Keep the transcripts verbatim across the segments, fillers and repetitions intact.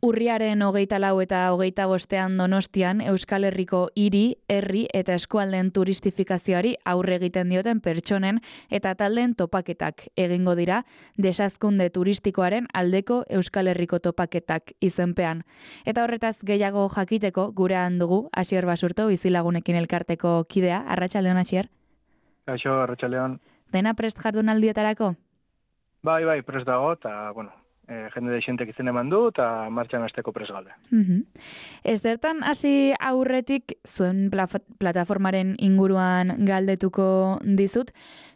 Urriaren hogeita lau eta hogeita bostean Donostian Euskal Herriko hiri, herri eta eskualdeen turistifikazioari aurre egiten dioten pertsonen eta taldeen topaketak egingo dira desazkunde turistikoaren aldeko Euskal Herriko topaketak izenpean. Eta horretaz gehiago jakiteko gurean dugu Asier Basurto bizilagunekin elkarteko kidea. Arratsaldeon, Asier. Kaixo, arratsaldeon. Dena prest jardunaldietarako? Bai, bai, prest dago, eta, bueno, e, jende deixentek izen eman du, eta martxan hasteko prest galde. Mm-hmm. Ez zertan hasi aurretik zuen pla- plataformaren inguruan galdetuko dizut,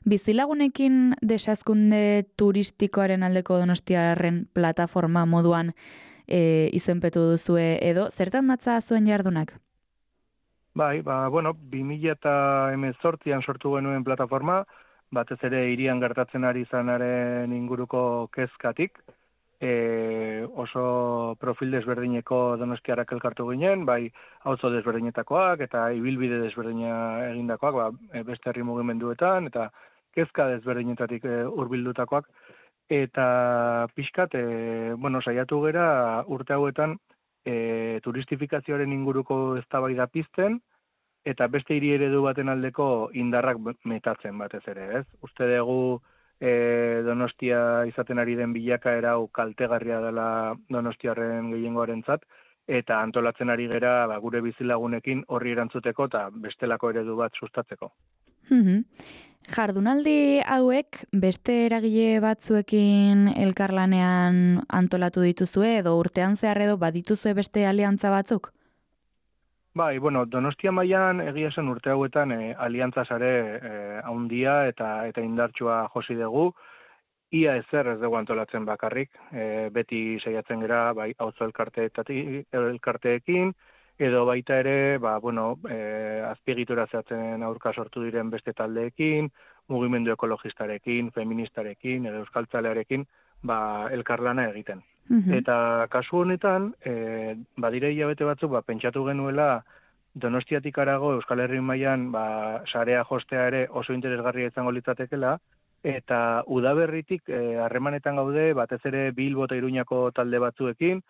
bizilagunekin desazkunde turistikoaren aldeko Donostiarren plataforma moduan e, izenpetu duzue edo, zertan datza zuen jardunak? Bai, ba, bueno, bi mila hemezortzian sortu genuen plataforma, batez ere hirian gertatzen ari zanaren inguruko kezkatik, e, oso profil desberdineko donostiarrak elkartu ginen, bai auzo desberdinetakoak eta ibilbide desberdina egindakoak, ba, beste herri mugimenduetan, eta kezka desberdinetatik e, hurbildutakoak, eta pixkat, e, bueno, saiatu gera urte hauetan e, turistifikazioaren inguruko eztabaida pizten, eta beste hiri eredu baten aldeko indarrak metatzen batez ere, ez? Uste dugu e, Donostia izaten ari den bilakaera hau kaltegarria dela Donostiarren gehiengoarentzat, eta antolatzen ari gera ba, gure bizilagunekin horri erantzuteko eta bestelako eredu bat sustatzeko. Mm-hmm. Jardunaldi hauek beste eragile batzuekin elkarlanean antolatu dituzue edo urtean zehar edo badituzue beste aliantza batzuk? Bai, bueno, Donostia mailan egia esan urte hauetan e, aliantza sare e, haundia eta eta indartsua josi dugu. Ia ezer ez dugu antolatzen bakarrik, e, beti saiatzen gera bai auzo elkarteekin, edo baita ere, ba, bueno, e, azpiegitura zehatzen aurka sortu diren beste taldeekin, mugimendu ekologistarekin, feministarekin, edo euskaltzalearekin, ba, elkarlana egiten. Mm-hmm. Eta kasu honetan, e, badire hilabete batzuk, ba, pentsatu genuela Donostiatik harago Euskal Herri mailan ba, sarea jostea ere oso interesgarria izango litzatekela, eta udaberritik harremanetan e, gaude, batez ere Bilbo eta Iruñako talde batzuekin,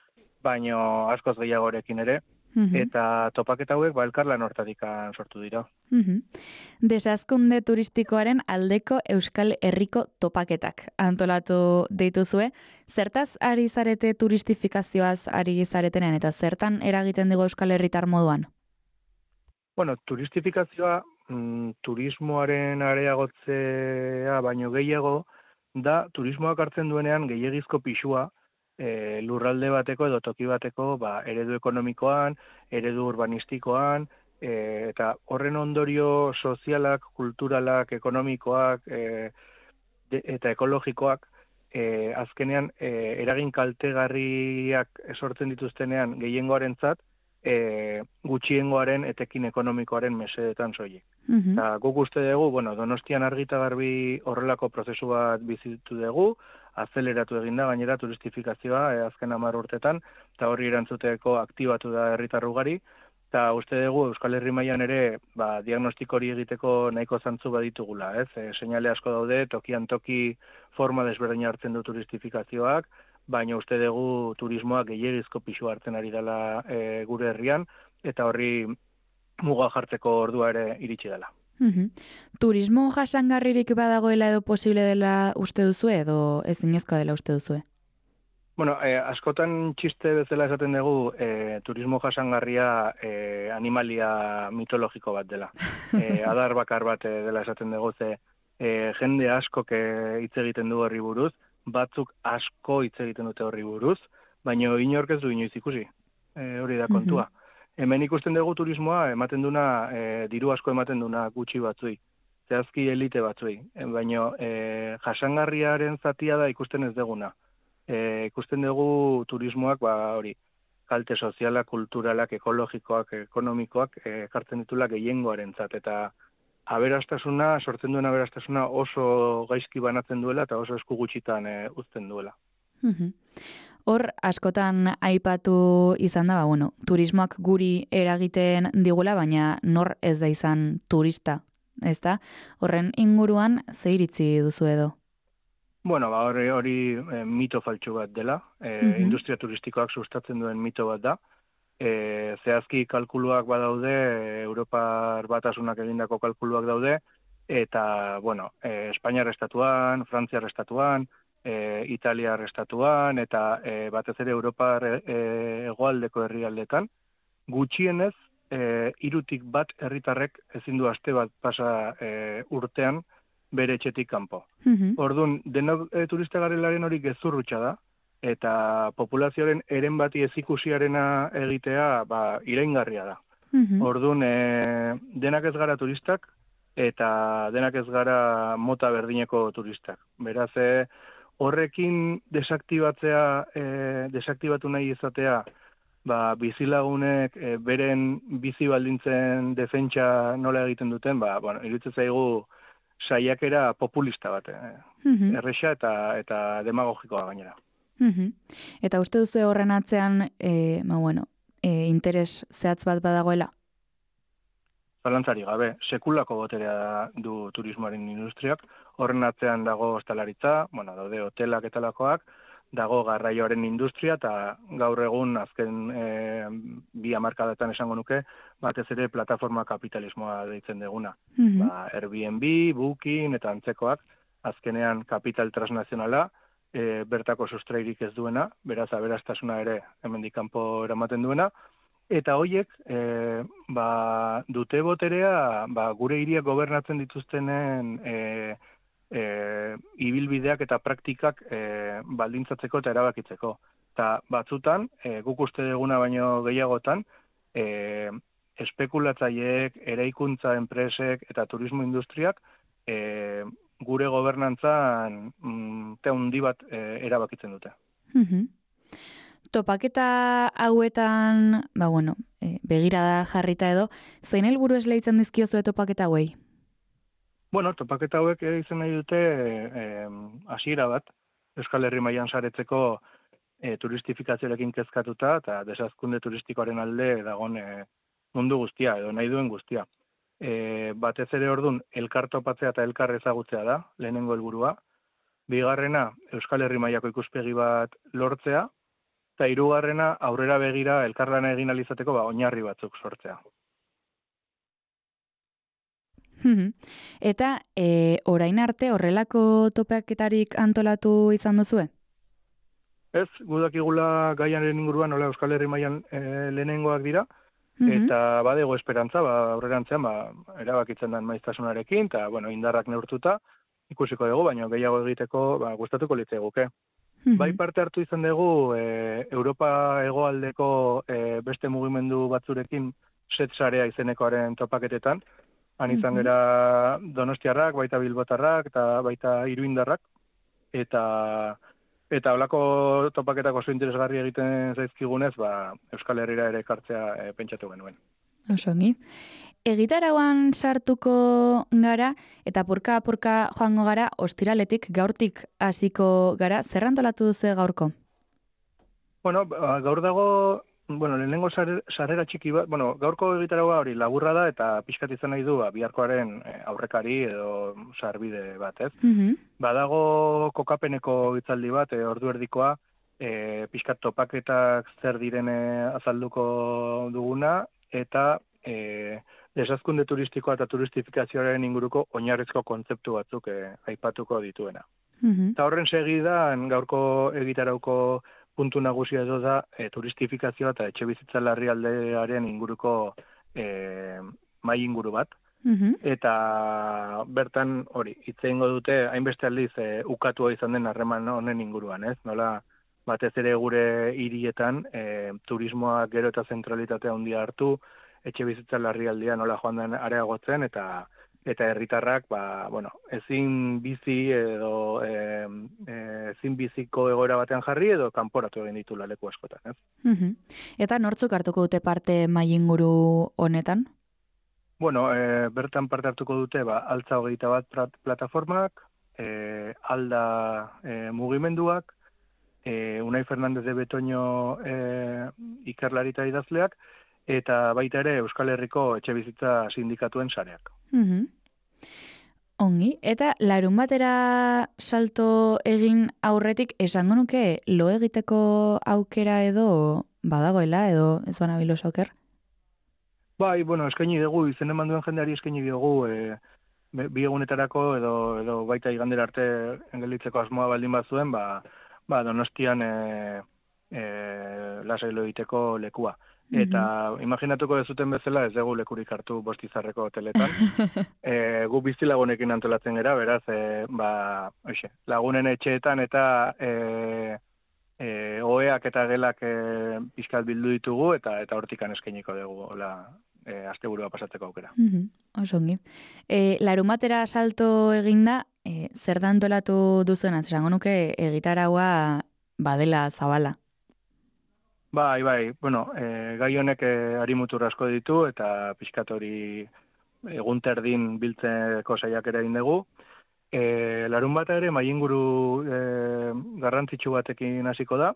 baino askoz gehiagorekin ere, mm-hmm. eta topaketa hauek ba, elkarlan hortatik sortu dira. Mm-hmm. Desazkunde turistikoaren aldeko Euskal Herriko topaketak antolatu dituzue. Zertaz ari zarete turistifikazioaz ari zaretenean eta zertan eragiten digu Euskal Herritar moduan? Bueno, turistifikazioa mm, turismoaren areagotzea baino gehiago da turismoak hartzen duenean gehiegizko pisua e, lurralde bateko edo toki bateko ba, eredu ekonomikoan, eredu urbanistikoan, e, eta horren ondorio sozialak, kulturalak, ekonomikoak e, de, eta ekologikoak e, azkenean e, eragin kaltegarriak sortzen dituztenean gehiengoarentzat, E, gutxiengoaren etekin ekonomikoaren mesedetan soilik. Mm-hmm. Ta, guk uste dugu, bueno, Donostian argita garbi horrelako prozesu bat bizitu dugu, azeleratu eginda gainera turistifikazioa e, azken hamar urtetan, eta horri erantzuteko aktibatu da herritar ugari, eta uste dugu Euskal Herri mailan ere ba, diagnostiko hori egiteko nahiko zantzu baditugula, ez? E, seinale asko daude, tokian toki forma desberdina hartzen du turistifikazioak, baina uste dugu turismoak gehiegizko pisu hartzen ari dela e, gure herrian, eta horri muga jartzeko ordua ere iritsi dela. Mm-hmm. Turismo jasangarririk badagoela edo posible dela uste duzu edo ezinezkoa dela uste duzue? Bueno, e, askotan txiste bezala esaten dugu e, turismo jasangarria e, animalia mitologiko bat dela. E, adar bakar bat dela esaten dugu, ze e, jende askok hitz egiten du horri buruz, batzuk asko hitz egiten dute horri buruz, baina inork ez du inoiz ikusi, e, hori da kontua. Mm-hmm. Hemen ikusten dugu turismoa, ematen duna, e, diru asko ematen duna gutxi batzui, zehazki elite batzui, e, baina e, jasangarriaren zatia da ikusten ez deguna. E, ikusten dugu turismoak, ba hori, kalte sozialak, kulturalak, ekologikoak, ekonomikoak, e, kartzen ditula gehiengoarentzat, eta aberastasuna, sortzen duen aberastasuna oso gaizki banatzen duela eta oso esku gutxitan e, uzten duela. Mm-hmm. Hor, askotan aipatu izan da, ba, bueno, turismoak guri eragiten digula, baina nor ez da izan turista, ezta? Horren inguruan ze iritzi duzu edo? Bueno, ba, hori, hori e, mito faltsu bat dela, e, Mhm. industria turistikoak sustatzen duen mito bat da. E, zehazki kalkuluak badaude, e, Europar Batasunak egindako kalkuluak daude, eta, bueno, e, Espainiar estatuan, Frantziar estatuan, e, Italiar estatuan, eta e, batez ere Europar e, hegoaldeko herrialdetan, gutxienez, e, irutik bat herritarrek ezin du aste bat pasa e, urtean bere etxetik kanpo. Mhm. Orduan, denok e, turista garelaren hori gezurrutxa da, eta populazioaren eren bati ezikusiarena egitea ba, iraingarria da. Mhm. Orduan, e, denak ez gara turistak, eta denak ez gara mota berdineko turistak. Beraz, e, horrekin desaktibatzea, e, desaktibatu nahi izatea, ba, bizilagunek e, beren bizi baldintzen defentsa nola egiten duten, ba, bueno, iruditzen zaigu saiakera populista bat, e, Mhm. erresa eta, eta demagogikoa gainera. Mhm. Eta uste duzu horren atzean, e, ba, bueno, e, interes zehatz bat badagoela? Zalantzari gabe, sekulako boterea du turismoaren industriak, horren atzean dago ostalaritza, bueno, daude hotelak eta lakoak, dago garraioaren industria, eta gaur egun azken e, bi hamarkadatan esango nuke, batez ere plataforma kapitalismoa deitzen deguna. Mhm. Ba, Airbnb, Booking eta antzekoak, azkenean kapital transnazionala, e, bertako sustrairik ez duena, beraz aberastasuna ere hemendik kanpo eramaten duena, eta hoiek e, ba, dute boterea ba, gure hiriak gobernatzen dituztenen e, e, ibilbideak eta praktikak e, baldintzatzeko eta erabakitzeko. Eta batzutan, e, guk uste duguna baino gehiagotan, e, espekulatzaileek, eraikuntza enpresek eta turismo industriak e, gure gobernantzan mm, te handi bat e, erabakitzen dute. Mhm. Topaketa hauetan, ba bueno, e, begirada jarrita edo, zein helburu esleitzen dizkiozu topaketa hauei? Bueno, topaketa hauek ere izan nahi dute hasiera bat, Euskal Herri mailan saretzeko e, turistifikazioarekin kezkatuta eta desazkunde turistikoaren alde dagon e, mundu guztia edo nahi duen guztia. E, batez ere ordun elkar topatzea eta elkar ezagutzea da, lehenengo helburua. Bigarrena, Euskal Herri mailako ikuspegi bat lortzea, eta hirugarrena aurrera begira elkarlana egin ahal izateko ba, oinarri batzuk sortzea. Mhm. Eta e, orain arte horrelako topaketarik antolatu izan duzue? Ez, gudakigula gaiaren inguruan, nola Euskal Herri mailan e, lehenengoak dira, Mhm. eta badego esperantza, ba, aurrerantzean, ba, erabakitzen den maiztasunarekin, eta, bueno, indarrak neurtuta, ikusiko dugu, baina gehiago egiteko, ba, gustatuko litzaiguke. Mhm. Bai parte hartu izan dugu, e, Europa hegoaldeko e, beste mugimendu batzurekin, set sarea izenekoaren topaketetan, han izan Mhm. gera donostiarrak, baita bilbotarrak, eta baita iruindarrak, eta eta holako topaketak oso interesgarri egiten zaizkigunez, ba, Euskal Herrira ere ekartzea e, pentsatu genuen. Oso ongi. Egitarauan sartuko gara eta purka-purka joango gara ostiraletik gaurtik hasiko gara. Zer antolatu duzu gaurko? Bueno, ba, gaur dago, bueno, lehenengo sare- sarrera txiki bat, bueno, gaurko egitaragoa hori laburra da eta pixkat izan nahi du ba, biharkoaren e, aurrekari edo sarbide bat, ez? Mhm. Badago kokapeneko hitzaldi bat, e, ordu erdikoa, e, pixkat topaketak zer direne azalduko duguna, eta e, desazkunde turistikoa eta turistifikazioaren inguruko oinarrizko kontzeptu batzuk e, aipatuko dituena. Mhm. Eta horren segidan gaurko egitarauko puntu nagusia edo da e, turistifikazioa eta etxe bizitza larrialdearen inguruko e, mai inguru bat. Mhm. Eta bertan hori, hitz egingo dute hainbeste aldiz e, ukatua izan den harreman honen inguruan, ez? Nola batez ere gure hirietan e, turismoa gero eta zentralitatea handia hartu, etxe bizitza larrialdia nola joan den areagotzen eta eta herritarrak ba, bueno, ezin bizi edo e, e, ezin biziko egoera batean jarri edo kanporatu egin ditu leku askotan, ez? Mhm. Eta nortzuk hartuko dute parte mai inguru honetan? Bueno, e, bertan parte hartuko dute ba, altza hogeita bat plataformak, e, alda e, mugimenduak, e, Unai Fernandez de Betoño e, ikerlari eta idazleak, eta baita ere Euskal Herriko etxe bizitza sindikatuen sareak. Mhm. Ongi, eta larun batera salto egin aurretik esango nuke lo egiteko aukera edo badagoela edo ez bana bilo soker? Bai, bueno, eskaini dugu, izen eman duen jendeari eskaini dugu, e, bi egunetarako edo, edo baita igandera arte engelitzeko asmoa baldin bazuen, ba, ba Donostian e, e, lasai lo egiteko lekua. Eta mm-hmm. imaginatuko dezuten bezala ez dugu lekurik hartu Bostizarreko hoteletan. e, gu bizilagunekin antolatzen gera, beraz, e, ba, oixe, lagunen etxeetan eta e, e, oheak eta gelak e, pixkat bildu ditugu eta eta hortikan eskainiko dugu, hola, e, asteburua pasatzeko aukera. Mm-hmm. Osongi. E, larumatera salto eginda, e, zer da antolatu duzuen, esango nuke egitaraua badela zabala. Bai, bai, bueno, e, gai honek e, harimutur asko ditu eta pixkat hori egun terdin biltzeko saiakera egin dugu. E, larun bata ere mainguru e, garrantzitsu batekin hasiko da,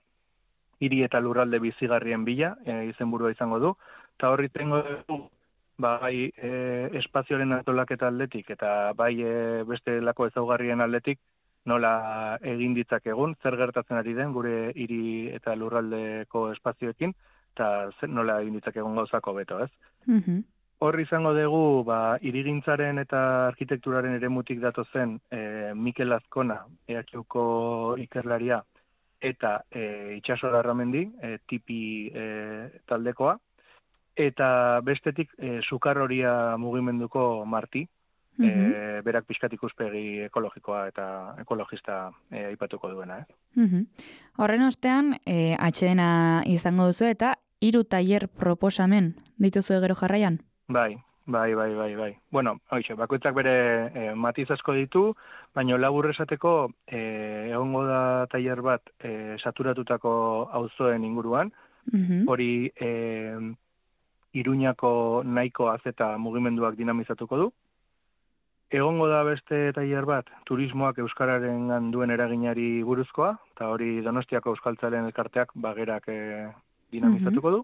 hiri eta lurralde bizigarrien bila, e, izenburua izango du, eta horri tengo dugu, bai e, espazioaren antolaketa aldetik eta bai e, beste lako ezaugarrien aldetik, nola egin ditzakegun, zer gertatzen ari den gure hiri eta lurraldeko espazioekin, eta nola egin ditzakegun gauzako beto, ez? Mm-hmm. Horri izango dugu, ba, hirigintzaren eta arkitekturaren eremutik datozen e, Mikel Azkona, E H Uko ikerlaria, eta e, Itxaso Larramendi, e, tipi e, taldekoa, eta bestetik e, Sukarroria mugimenduko Marti, mm-hmm. e, berak pixkat ikuspegi ekologikoa eta ekologista e, aipatuko duena. Eh? Mm-hmm. Horren ostean, e, atxedena izango duzu eta hiru tailer proposamen dituzu gero jarraian? Bai, bai, bai, bai, bai. Bueno, hoxe, bakoitzak bere e, matiz asko ditu, baina labur esateko e, egongo da tailer bat e, saturatutako auzoen inguruan, mm-hmm. hori e, Iruñako nahiko azeta mugimenduak dinamizatuko du. Egongo da beste tailer bat, turismoak euskararen duen eraginari buruzkoa, eta hori Donostiako Euskaltzalean elkarteak bagerak e, dinamizatuko du.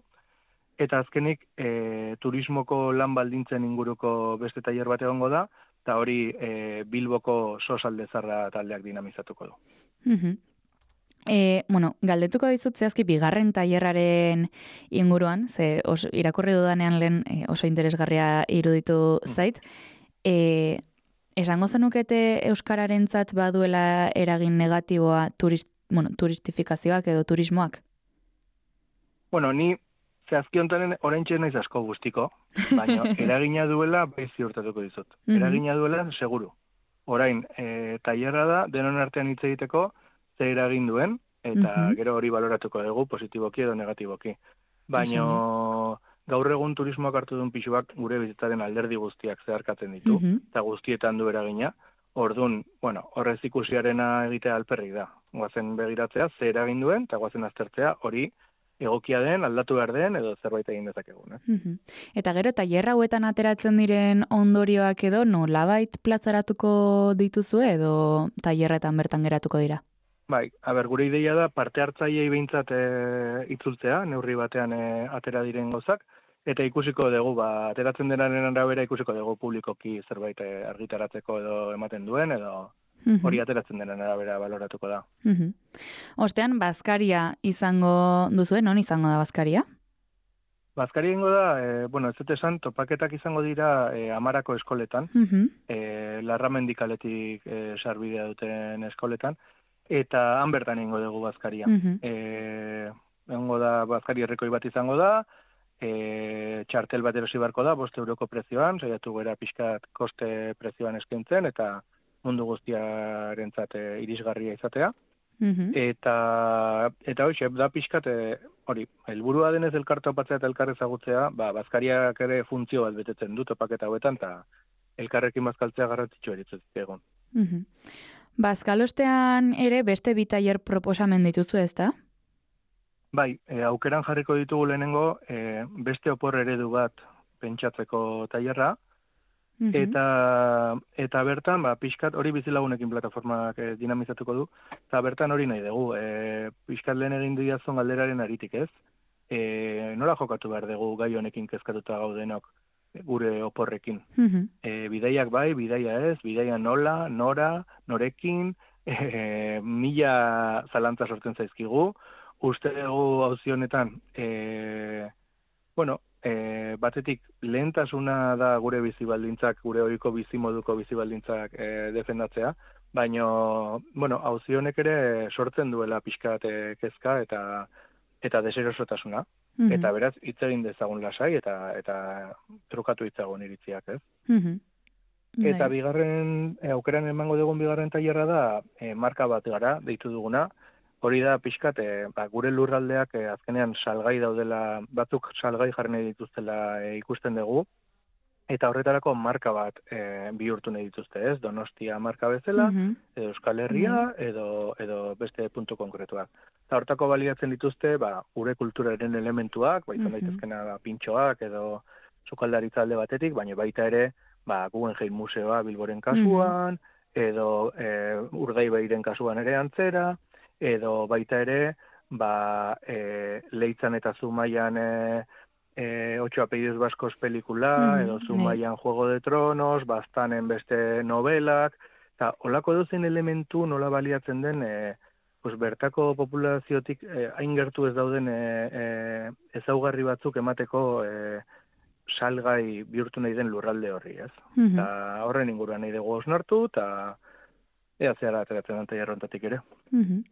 Eta azkenik, e, turismoko lan baldintzen inguruko beste tailer bat egongo da, eta hori e, Bilboko Sosaldezarra taldeak dinamizatuko du. Mm-hmm. E, bueno, galdetuko dizut zehazki bigarren tailerraren inguruan, ze os, irakurri dudanean lehen e, oso interesgarria iruditu zait. E, esango zenukete euskararentzat baduela eragin negatiboa turist, bueno, turistifikazioak edo turismoak? Bueno, ni zehazki hontaren oraintxe naiz asko guztiko, baina eragina duela bai ziurtatuko dizut. Mm-hmm. Eragina duela seguru. Orain, e, tailerra da, denon artean hitz egiteko, ze eragin duen, eta mm-hmm. gero hori baloratuko dugu, positiboki edo negatiboki. Baina gaur egun turismoak hartu duen pixuak gure bizitzaren alderdi guztiak zeharkatzen ditu, mm-hmm. eta guztietan du eragina. Ordun, bueno, horrez ikusiarena egitea alperrik da. Goazen begiratzea, ze eragin duen, eta goazen aztertzea hori egokia den, aldatu behar den, edo zerbait egin dezakegun. Eh? Mm-hmm. Eta gero, tailer hauetan ateratzen diren ondorioak edo nolabait platzaratuko dituzu edo tailerretan bertan geratuko dira? Bai, aber, gure ideia da parte hartzaileei behintzat e, itzultzea, neurri batean e, atera diren gozak, eta ikusiko dugu, ba, ateratzen denaren arabera ikusiko dugu publikoki zerbait e, argitaratzeko edo ematen duen, edo mm-hmm. hori ateratzen denaren arabera baloratuko da. Mm-hmm. Ostean, bazkaria izango duzuen, non izango da bazkaria? Bazkaria ingo da, e, bueno, ez dut esan, topaketak izango dira e, Amarako eskoletan, mm-hmm. e, Larramendikaletik e, sarbidea duten eskoletan, eta han bertan ingo dugu bazkaria. Mm-hmm. E, ingo da, bazkari errekoi bat izango da, e, txartel bat erosi barko da, bost euroko prezioan, saiatu gara pixkat koste prezioan eskaintzen, eta mundu guztiarentzat e, irisgarria izatea. Mm-hmm. Eta, eta hoxe, da pixkat, e, hori, helburua denez elkarte opatzea eta elkar ezagutzea, ba, bazkariak ere funtzio bat betetzen du topaketa hauetan, eta elkarrekin bazkaltzea garrantzitsu eritzen egon. Mm-hmm. Bazkalostean ere beste bi tailer proposamen dituzu, ezta? Bai, e, aukeran jarriko ditugu lehenengo e, beste opor eredu bat pentsatzeko tailerra, mm-hmm. eta eta bertan, ba, pixkat hori bizilagunekin plataformak e, dinamizatuko du, eta bertan hori nahi dugu, e, pixkat lehen egin diazun galderaren aritik ez, e, nola jokatu behar dugu gai honekin kezkatuta gaudenok, gure oporrekin. Mhm. E, bidaiak bai, bidaia ez, bidaia nola, nora, norekin, e, mila zalantza sortzen zaizkigu. Uste dugu auzi honetan, e, bueno, e, batetik lehentasuna da gure bizibaldintzak, gure ohiko bizimoduko bizibaldintzak e, defendatzea, baino, bueno, auzi honek ere sortzen duela pixkat e, kezka eta eta deserosotasuna. Mhm. Eta beraz, hitz egin dezagun lasai eta eta trukatu hitzagun iritziak, ez? Mhm. Eta Bai. bigarren, e, aukeran emango dugun bigarren tailerra da, e, marka bat gara, deitu duguna. Hori da pixkat, e, ba, gure lurraldeak e, azkenean salgai daudela, batzuk salgai jarri nahi dituztela e, ikusten dugu, eta horretarako marka bat e, bihurtu nahi dituzte, ez? Donostia marka bezala, Mhm. edo Euskal Bai. Herria, edo, edo beste puntu konkretuak. Eta hortako baliatzen dituzte, ba, gure kulturaren elementuak, ba, izan Mhm. daitezkena ba, pintxoak, edo sukaldaritza alde batetik, baina baita ere, ba, Guggenheim Museoa Bilboren kasuan, edo e, Urdaibaien kasuan ere antzera, edo baita ere, ba, e, Leitzan eta Zumaian e, e, Ocho apellidos vascos pelikula, Mhm. edo Bai. Zumaian Juego de Tronos, Baztanen beste novelak, eta olako dozen elementu nola baliatzen den, e, pues, bertako populaziotik e, hain gertu ez dauden e, e, ezaugarri batzuk emateko e, salgai bihurtu nahi den lurralde horri, ez? Mhm. Eta horren inguruan nahi dugu osnartu, eta ea zehara ateratzen den tailerrontatik ere. Mhm.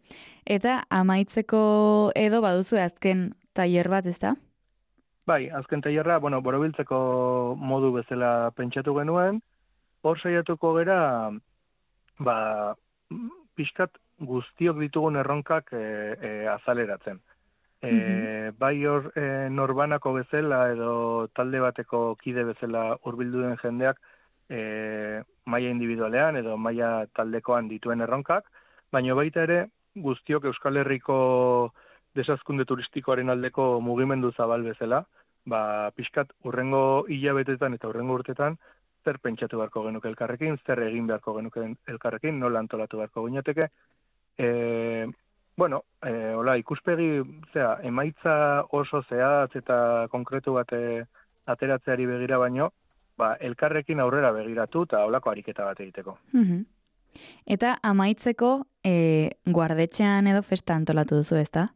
Eta amaitzeko edo baduzu azken tailer bat, ezta? Bai, azken tailerra, bueno, borobiltzeko modu bezala pentsatu genuen, hor saiatuko gera, ba, pixkat guztiok ditugun erronkak e, e, azaleratzen. E, Mhm. bai hor e, norbanako bezala edo talde bateko kide bezala hurbildu den jendeak e, maila individualean edo maila taldekoan dituen erronkak, baina baita ere guztiok Euskal Herriko desazkunde turistikoaren aldeko mugimendu zabal bezala, ba, pixkat urrengo hilabetetan eta urrengo urtetan zer pentsatu beharko genuke elkarrekin, zer egin beharko genuke elkarrekin, nola antolatu beharko ginateke. E, bueno, e, hola, ikuspegi, zera, emaitza oso zehatz eta konkretu bat e, ateratzeari begira baino, ba, elkarrekin aurrera begiratu eta holako ariketa bat egiteko. Mhm. Eta amaitzeko e, guardetxean edo festa antolatu duzu, ezta?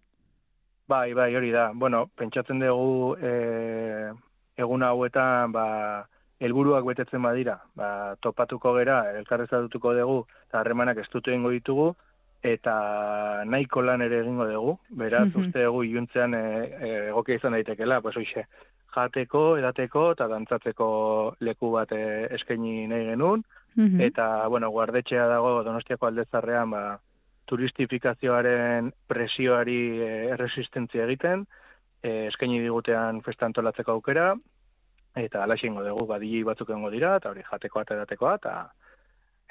Bai, bai, hori da. Bueno, pentsatzen dugu e, egun hauetan, ba, helburuak betetzen badira, ba, topatuko gera, elkarrezatuko dugu, eta harremanak estutu egingo ditugu, eta nahiko lan ere egingo dugu. Beraz, uste dugu iluntzean e, e, egokia izan daitekela, pues hoxe, jateko, edateko, eta dantzatzeko leku bat e, eskaini nahi genuen, Mhm. eta, bueno, guardetxea dago Donostiako aldezarrean, ba, turistifikazioaren presioari e, erresistentzia egiten, e, eskaini digutean festa antolatzeko aukera, eta alaxe ingo dugu, badili batzuk egongo dira, eta hori jatekoa eta edatekoa, eta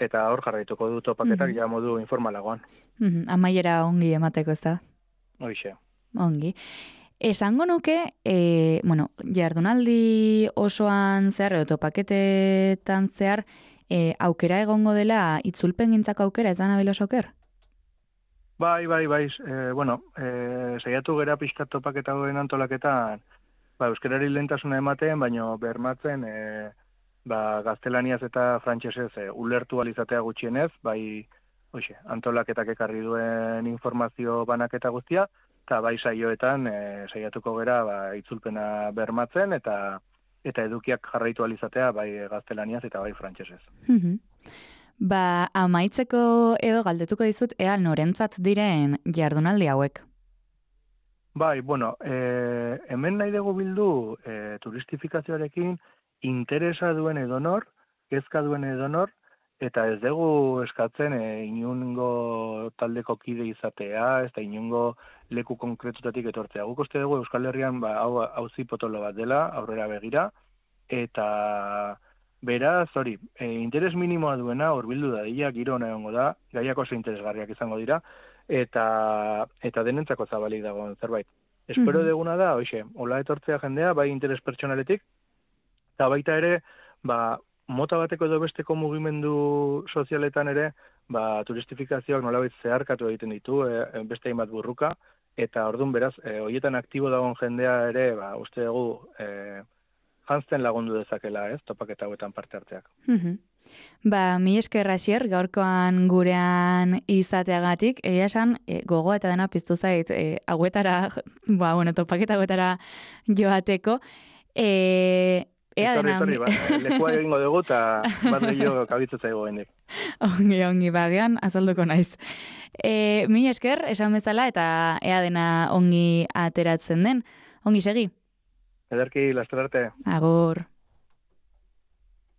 eta hor jarraituko du topaketak Mhm. ja modu informalagoan. Mhm. Amaiera ongi emateko, ezta? Hoixe. Ongi. Esango nuke, e, bueno, jardunaldi osoan zehar, edo topaketetan zehar, e, aukera egongo dela itzulpengintzako aukera, ez da nabil osoker? Bai, bai, bai, e, bueno, e, saiatu gera pixkat topaketa goen antolaketan, ba, euskerari lehentasuna ematen, baino bermatzen, e, ba, gaztelaniaz eta frantsesez e, ulertu alizatea gutxienez, bai, hoxe, antolaketak ekarri duen informazio banaketa guztia, eta bai saioetan e, saiatuko gera ba, itzulpena bermatzen, eta eta edukiak jarraitu alizatea bai gaztelaniaz eta bai frantsesez. Mhm. Ba, amaitzeko edo galdetuko dizut, ea norentzat diren jardunaldi hauek? Bai, bueno, e, hemen nahi dugu bildu e, turistifikazioarekin interesa duen edonor, kezka duen edonor, eta ez dugu eskatzen e, inungo taldeko kide izatea, ez da inungo leku konkretutatik etortzea. Guk uste dugu Euskal Herrian ba, hau auzi potolo bat dela, aurrera begira, eta beraz, hori, e, interes minimoa duena, hurbildu dadila, giro hona egongo da, gaiak oso interesgarriak izango dira, eta eta denentzako zabalik dagoen zerbait. Espero Mhm. deguna da, hoxe, hola etortzea jendea, bai interes pertsonaletik, eta baita ere, ba, mota bateko edo besteko mugimendu sozialetan ere, ba, turistifikazioak nolabait zeharkatu egiten ditu, e, beste hainbat burruka, eta ordun beraz, e, hoietan aktibo dagoen jendea ere, ba, uste dugu, e, janzten lagundu dezakela, ez, topaketa hauetan parte hartzeak. Mhm. Ba, mi esker Asier, gaurkoan gurean izateagatik, egia esan, e, gogoa eta dena piztu zait, e, hauetara, ba, bueno, topaketa hauetara joateko, e, ea Etorri, dena... etorri, ba, lekua egingo dugu, eta bat gehiago kabitzea zaigu gendik. Ongi, ongi, bagean, azalduko naiz. E, mi esker, esan bezala, eta ea dena ongi ateratzen den. Ongi segi? Ederki, laster arte. Agur.